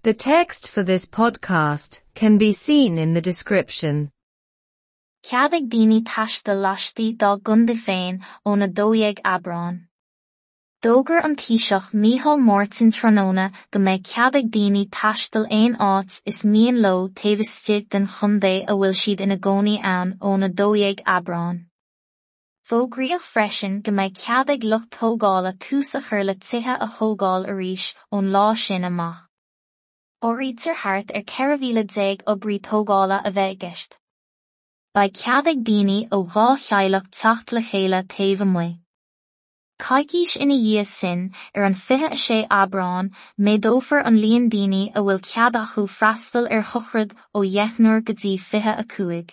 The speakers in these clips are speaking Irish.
The text for this podcast can be seen in the description. Cead ag daoine taisteal laistigh dá gcontae féin ón 12 Aibreán. D'fhógair an Taoiseach Micheál Martin tráthnóna go mbeidh cead ag daoine taisteal aon áit is mian leo taobh istigh den chontae a bhfuil siad ina gcónaí ann ón 12 Aibreán. Fógraíodh freisin go mbeidh cead ag lucht tógála tús a chur le tithe a thógáil arís ón lá sin amach. Áirítear thart ar 14,000 oibrí tógála a bheith i gceist. Beidh cead ag daoine ó dhá theaghlach teacht le chéile taobh amuigh. Coicís ina dhiaidh sin, ar an 26 Aibreán, méadófar an líon daoine a bhfuil cead acu freastal ar shochraid ó dheichniúr go dtí 25.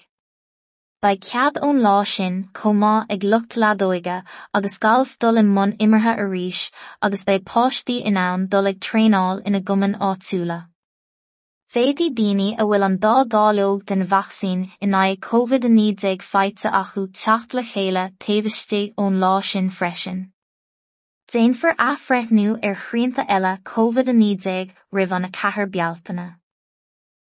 Beidh cead ón lá sin chomh maith ag lucht leadóige agus gailf dul i mbun imeartha arís agus beidh páistí in ann dul ag traenáil ina gcumainn áitiúla. Féadfaidh daoine a bhfuil an dá dháileog den vacsaín in aghaidh Covid-19 faighte acu teacht le chéile taobh istigh ón lá sin freisin. Déanfar athbhreithniú ar shrianta eile Covid-19 roimh an 4 Bealtaine.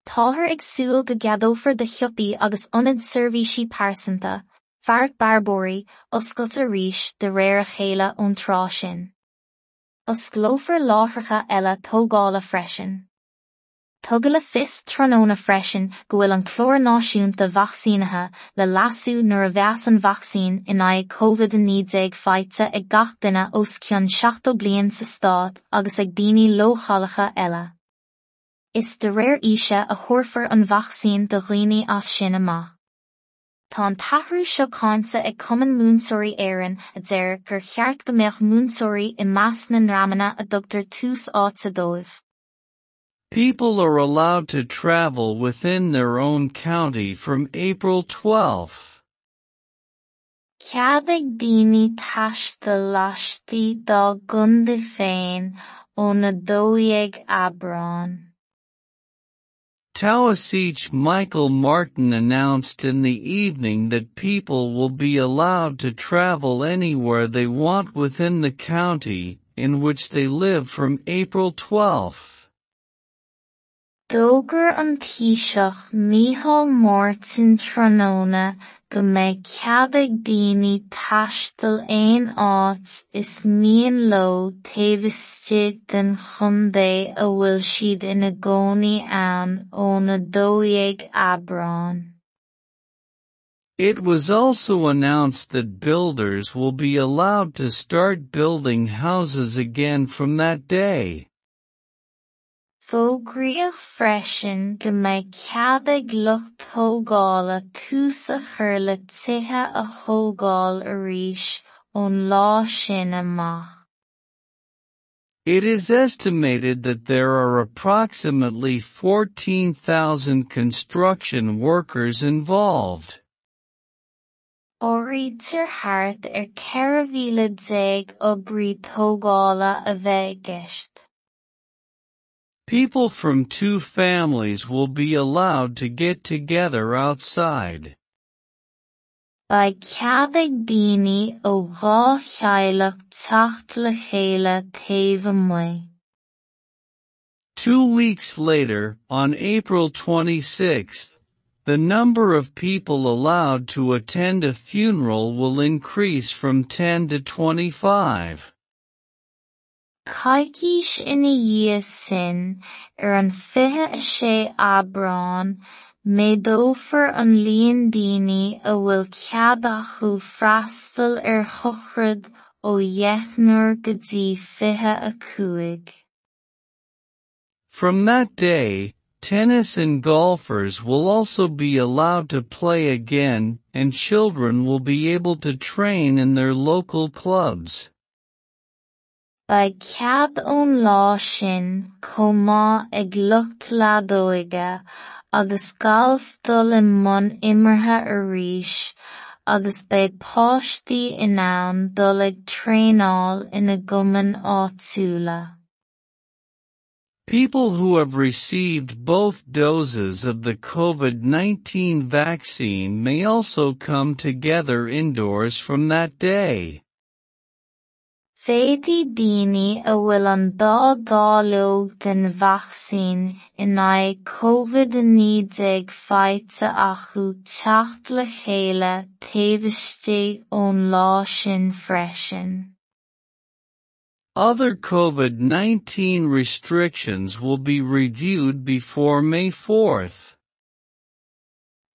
Táthar ag súil go gceadófar do shiopaí agus ionaid seirbhísí pearsanta, fearacht bearbóirí, oscailt arís de réir a chéile ón tráth sin. Osclófar láithreacha eile tógála freisin. Tugadh le fios tráthnóna freisin go bhfuil an clár náisiúnta vacsaínithe le leasú nuair a bheas an vacsaín in aghaidh Covid-19 faighte ag gach duine os cionn 70 bliain sa stát agus ag daoine leochaileacha eile. Is de réir aoise a thabharfar an vacsaín do dhaoine as sin amach. Tá an t-athrú seo cáinte ag Cumann Múinteoirí Éireann a deir gur cheart go mbeadh múinteoirí i measc na ndreamanna a dtugtar tús áite dóibh. People are allowed to travel within their own county from April 12. Cead ag daoine taisteal laistigh dá gcontae féin ón 12 Aibreán. Taoiseach Michael Martin announced in the evening that people will be allowed to travel anywhere they want within the county in which they live from April 12. D'fhógair an Taoiseach Micheál Martin tráthnóna go mbeidh cead ag daoine taisteal aon áit is mian leo taobh istigh den chontae a bhfuil siad ina gcónaí ann ón 12 Aibreán. It was also announced that builders will be allowed to start building houses again from that day. Fógraíodh freisin go mbeidh cead ag lucht tógála tús a chur le tithe a thógáil arís ón lá sin amach. It is estimated that there are approximately 14,000 construction workers involved. Áirítear thart ar 14,000 oibrí tógála a bheith i gceist. People from two families will be allowed to get together outside. Beidh cead ag daoine ó dhá theaghlach teacht le chéile taobh amuigh. 2 weeks later, on April 26, the number of people allowed to attend a funeral will increase from 10 to 25. Coicís ina dhiaidh sin, ar an 26 Aibreán, méadófar an líon daoine a bhfuil cead acu freastal ar shochraid ó dheichniúr go dtí 25. From that day, tennis and golfers will also be allowed to play again, and children will be able to train in their local clubs. Beidh cead ón lá sin chomh maith ag lucht leadóige agus gailf dul i mbun imeartha arís agus beidh páistí in ann dul ag traenáil ina gcumainn áitiúla. People who have received both doses of the COVID-19 vaccine may also come together indoors from that day. Féadfaidh daoine a bhfuil an dá dháileog den vacsaín in aghaidh COVID-19 faighte acu teacht le chéile taobh istigh ón lá sin freisin. Other COVID-19 restrictions will be reviewed before May 4th.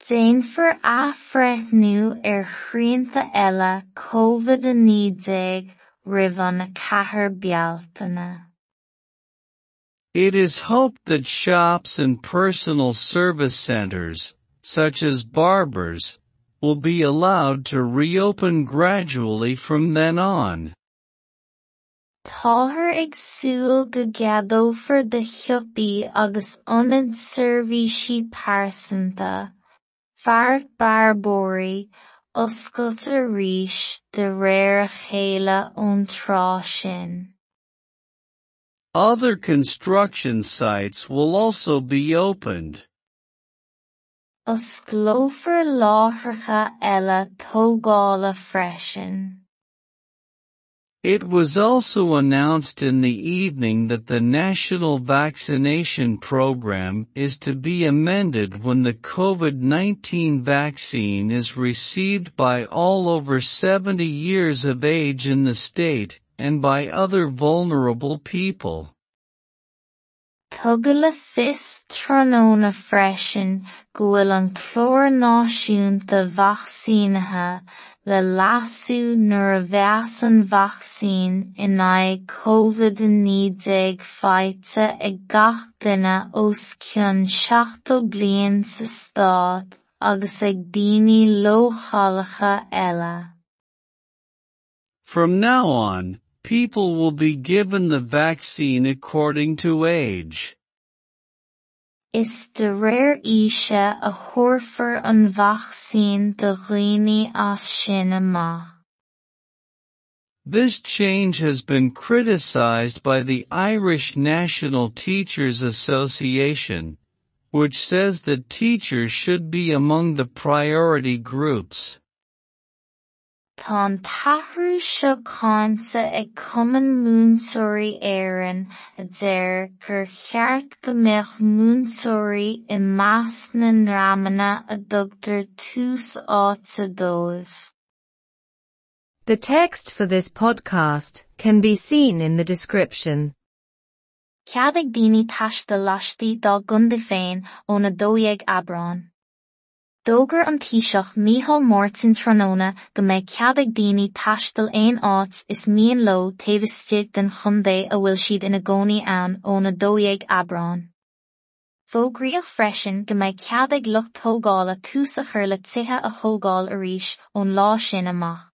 Déanfar athbhreithniú ar shrianta eile COVID-19 roimh an 4 Bealtaine. It is hoped that shops and personal service centers, such as barbers, will be allowed to reopen gradually from then on. Táthar ag súil go gceadófar do shiopaí agus ionaid seirbhísí pearsanta, feacht bearbóirí, oscailt arís de réir a chéile ón tráth sin. Other construction sites will also be opened. Osclófar láithreacha eile tógála freisin. It was also announced in the evening that the national vaccination program is to be amended when the COVID-19 vaccine is received by all over 70 years of age in the state and by other vulnerable people. Tugadh le fios tráthnóna freisin go bhfuil an clár náisiúnta vacsaínithe le leasú nuair a bheas an vacsaín in aghaidh COVID-19 faighte ag gach duine os cionn 70 bliain sa stát agus ag daoine leochaileacha eile. From now on, people will be given the vaccine according to age. Is de réir aoise a thabharfar an vacsaín do dhaoine as sin amach. This change has been criticized by the Irish National Teachers Association, which says that teachers should be among the priority groups. Tá an t-athrú seo cáinte ag Cumann Múinteoirí Éireann a deir gur cheart go mbeadh múinteoirí i measc na ndreamanna a dtugtar tús áite dóibh. The text for this podcast can be seen in the description. Cead ag daoine taisteal laistigh dá gcontae féin ón 12 Aibreán. D'fhógair an Taoiseach Micheál Martin tráthnóna go mbeidh cead ag daoine taisteal aon áit is mian leo taobh istigh den chontae a bhfuil siad ina gcónaí ann ón 12 Aibreán. Fógraíodh freisin go mbeidh cead ag lucht tógála tús a chur le tithe a thógáil arís ón lá sin amach.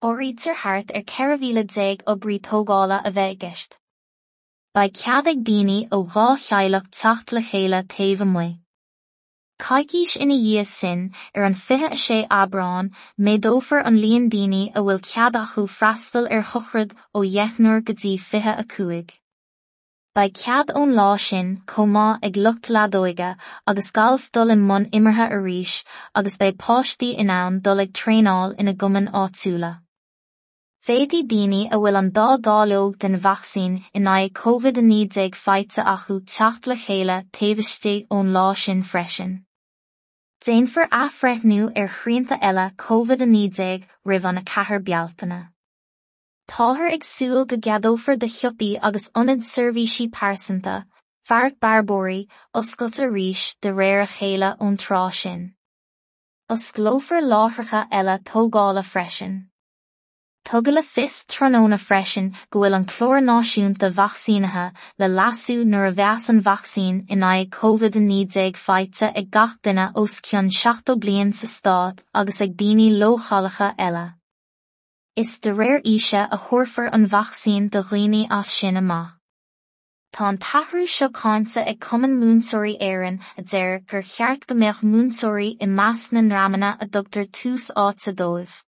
Áirítear thart ar 14,000 oibrí tógála a bheith i gceist. Beidh cead ag daoine ó dhá theaghlach teacht le chéile taobh amuigh. Coicís ina dhiaidh sin, ar an 26 Aibreán, méadófar an líon daoine a bhfuil cead acu freastal ar shochraid ó dheichniúr go dtí 25. Beidh cead ón lá sin chomh maith ag lucht leadóige agus gailf dul i mbun imeartha arís agus beidh páistí in ann dul ag traenáil ina gcumainn áitiúla. Féadfaidh daoine a bhfuil an dá dháileog den vacsaín in aghaidh COVID-19 faighte acu teacht le chéile taobh istigh ón lá sin freisin. Déanfar athbhreithniú ar shrianta eile COVID-19 roimh an 4 Bealtaine. Táthar ag súil go gceadófar do shiopaí agus ionaid seirbhísí pearsanta, feacht bearbóirí, oscailt arís de réir a chéile ón tráth sin. Osclófar láithreacha eile tógála freisin. Tugadh le fios tráthnóna freisin go bhfuil an clár náisiúnta vacsaínithe le leasú nuair a bheas an vacsaín in aghaidh COVID-19 faighte ag gach duine os cionn 70 bliain sa stát agus ag daoine leochaileacha eile. Is de réir aoise a thabharfar an vacsaín do dhaoine as sin amach. Tá an t-athrú seo cáinte ag Cumann Múinteoirí Éireann a deir gur cheart go mbeadh múinteoirí i measc na ndreamanna a dtugtar tús áite dóibh.